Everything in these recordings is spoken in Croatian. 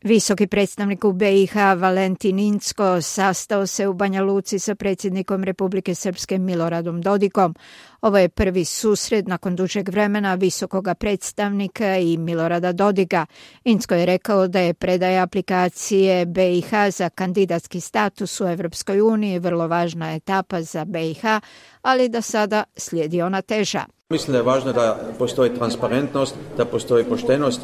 Visoki predstavnik u BiH Valentin Incko sastao se u Banja Luci sa predsjednikom Republike Srpske Miloradom Dodikom. Ovo je prvi susret nakon dužeg vremena visokoga predstavnika i Milorada Dodika. Incko je rekao da je predaja aplikacije BiH za kandidatski status u Evropskoj uniji vrlo važna etapa za BiH, ali da sada slijedi ona teža. Mislim da je važno da postoji transparentnost, da postoji poštenost,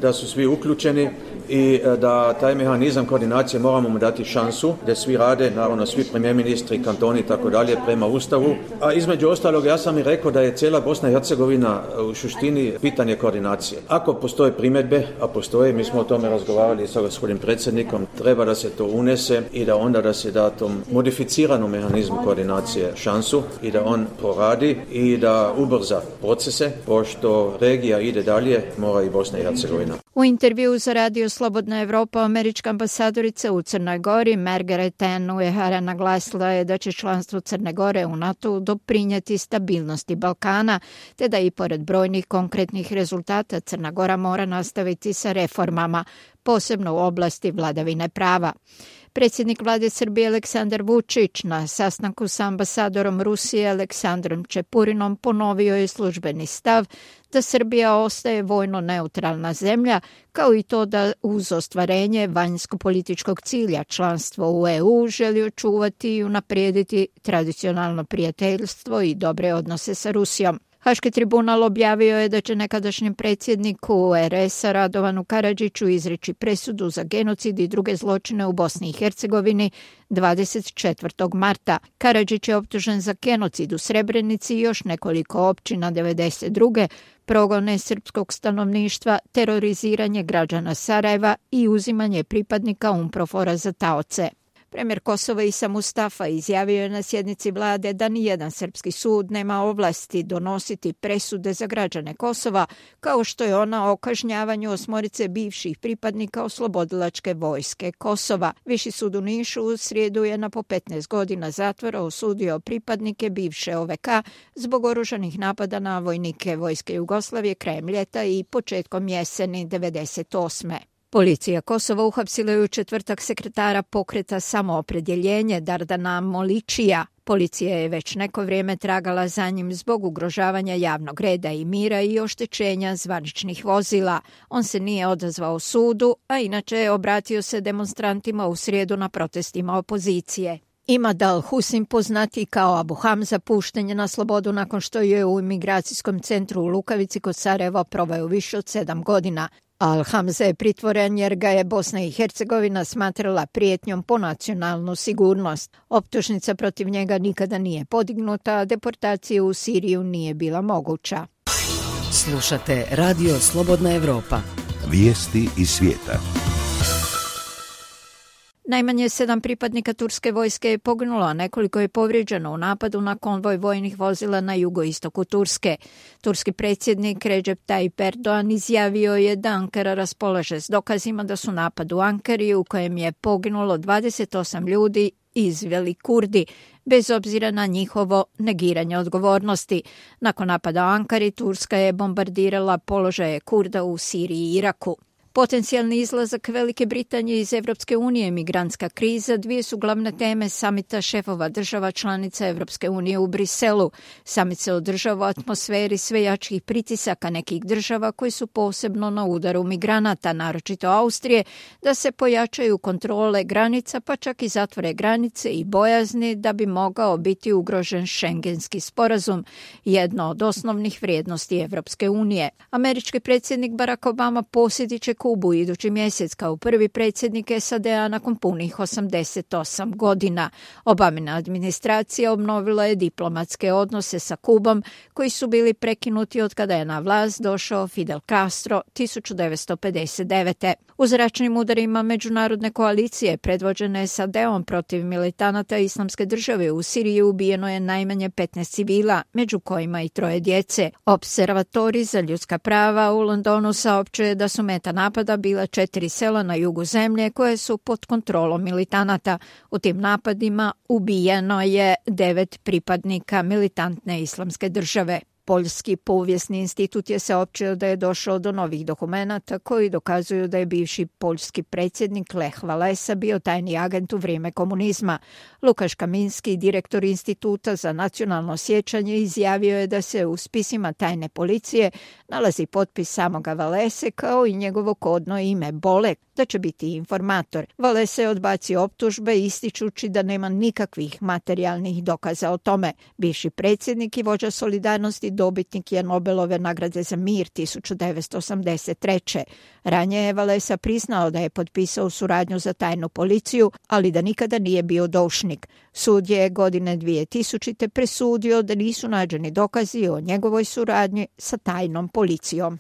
da su svi uključeni i da taj mehanizam koordinacije moramo mu dati šansu, da svi rade, naravno svi premijer ministri, kantoni i tako dalje prema Ustavu. A između ostalog ja sam i rekao da je cijela Bosna i Hercegovina u suštini pitanje koordinacije. Ako postoje primjedbe, a postoje, mi smo o tome razgovarali sa gospodinom predsjednikom, treba da se to unese i da onda da se da tom modificiranom mehanizmu koordinacije šansu i da on poradi i da ubrza procese, pošto regija ide dalje, mora i Bosna i Hercegovina. U intervjuu za Radio Slobodna Evropa američka ambasadorica u Crnoj Gori Margaret Ann Uehara naglasila je da će članstvo Crne Gore u NATO doprinijeti stabilnosti Balkana, te da i pored brojnih konkretnih rezultata Crna Gora mora nastaviti sa reformama, posebno u oblasti vladavine prava. Predsjednik vlade Srbije Aleksandar Vučić na sastanku sa ambasadorom Rusije Aleksandrom Čepurinom ponovio je službeni stav da Srbija ostaje vojno neutralna zemlja, kao i to da uz ostvarenje vanjsko-političkog cilja članstvo u EU želi očuvati i unaprijediti tradicionalno prijateljstvo i dobre odnose sa Rusijom. Haški tribunal objavio je da će nekadašnjem predsjedniku RS-a Radovanu Karadžiću izreći presudu za genocid i druge zločine u Bosni i Hercegovini 24. marta. Karadžić je optužen za genocid u Srebrenici i još nekoliko općina 92. progone srpskog stanovništva, teroriziranje građana Sarajeva i uzimanje pripadnika UNPROFOR-a za taoce. Premijer Kosova Isa Mustafa izjavio je na sjednici vlade da nijedan srpski sud nema ovlasti donositi presude za građane Kosova, kao što je ona o kažnjavanju 8 bivših pripadnika oslobodilačke vojske Kosova. Viši sud u Nišu u srijedu je na po 15 godina zatvora osudio pripadnike bivše OVK zbog oružanih napada na vojnike vojske Jugoslavije krajem ljeta i početkom jeseni 1998. Policija Kosova uhapsila je u četvrtak sekretara pokreta Samoopredjeljenje Dardana Moličija. Policija je već neko vrijeme tragala za njim zbog ugrožavanja javnog reda i mira i oštećenja zvaničnih vozila. On se nije odazvao sudu, a inače je obratio se demonstrantima u srijedu na protestima opozicije. Imad al-Husin, poznati kao Abu Hamza, pušten je na slobodu nakon što je u imigracijskom centru u Lukavici kod Sarajeva proveo više od 7 godina. Al-Hamza je pritvoren jer ga je Bosna i Hercegovina smatrala prijetnjom po nacionalnu sigurnost. Optužnica protiv njega nikada nije podignuta, a deportacija u Siriju nije bila moguća. Slušate Radio Slobodna Evropa. Vijesti iz svijeta. Najmanje 7 pripadnika turske vojske je poginulo, a nekoliko je povrijeđeno u napadu na konvoj vojnih vozila na jugoistoku Turske. Turski predsjednik Recep Tayyip Erdogan izjavio je da Ankara raspolaže s dokazima da su napad u Ankari u kojem je poginulo 28 ljudi izveli Kurdi, bez obzira na njihovo negiranje odgovornosti. Nakon napada u Ankari, Turska je bombardirala položaje Kurda u Siriji i Iraku. Potencijalni izlazak Velike Britanije iz Evropske unije, migrantska kriza, dvije su glavne teme samita šefova država članica Evropske unije u Briselu. Samit se održava u atmosferi sve jačih pritisaka nekih država koji su posebno na udaru migranata, naročito Austrije, da se pojačaju kontrole granica, pa čak i zatvore granice i bojazni da bi mogao biti ugrožen Schengenski sporazum, jedno od osnovnih vrijednosti Evropske unije. Američki predsjednik Barack Obama posjetit će Kubu idući mjesec kao prvi predsjednik SAD-a nakon punih 88 godina. Obamina administracija obnovila je diplomatske odnose sa Kubom koji su bili prekinuti od kada je na vlast došao Fidel Castro 1959. U zračnim udarima međunarodne koalicije predvođene SAD-om protiv militanata Islamske države u Siriji ubijeno je najmanje 15 civila, među kojima i 3 djece. Observatori za ljudska prava u Londonu saopćuje da su meta napada bila 4 sela na jugu zemlje koje su pod kontrolom militanata. U tim napadima ubijeno je 9 pripadnika militantne Islamske države. Poljski povijesni institut je saopćio da je došao do novih dokumenata koji dokazuju da je bivši poljski predsjednik Lech Walesa bio tajni agent u vrijeme komunizma. Lukaš Kaminski, direktor Instituta za nacionalno sjećanje, izjavio je da se u spisima tajne policije nalazi potpis samoga Walese kao i njegovo kodno ime Bolek, da će biti informator. Walesa je odbacio optužbe ističući da nema nikakvih materijalnih dokaza o tome. Bivši predsjednik i vođa Solidarnosti dobitnik je Nobelove nagrade za mir 1983. Ranije je Walesa priznao da je potpisao suradnju za tajnu policiju, ali da nikada nije bio doušnik. Sud je godine 2000. presudio da nisu nađeni dokazi o njegovoj suradnji sa tajnom policijom.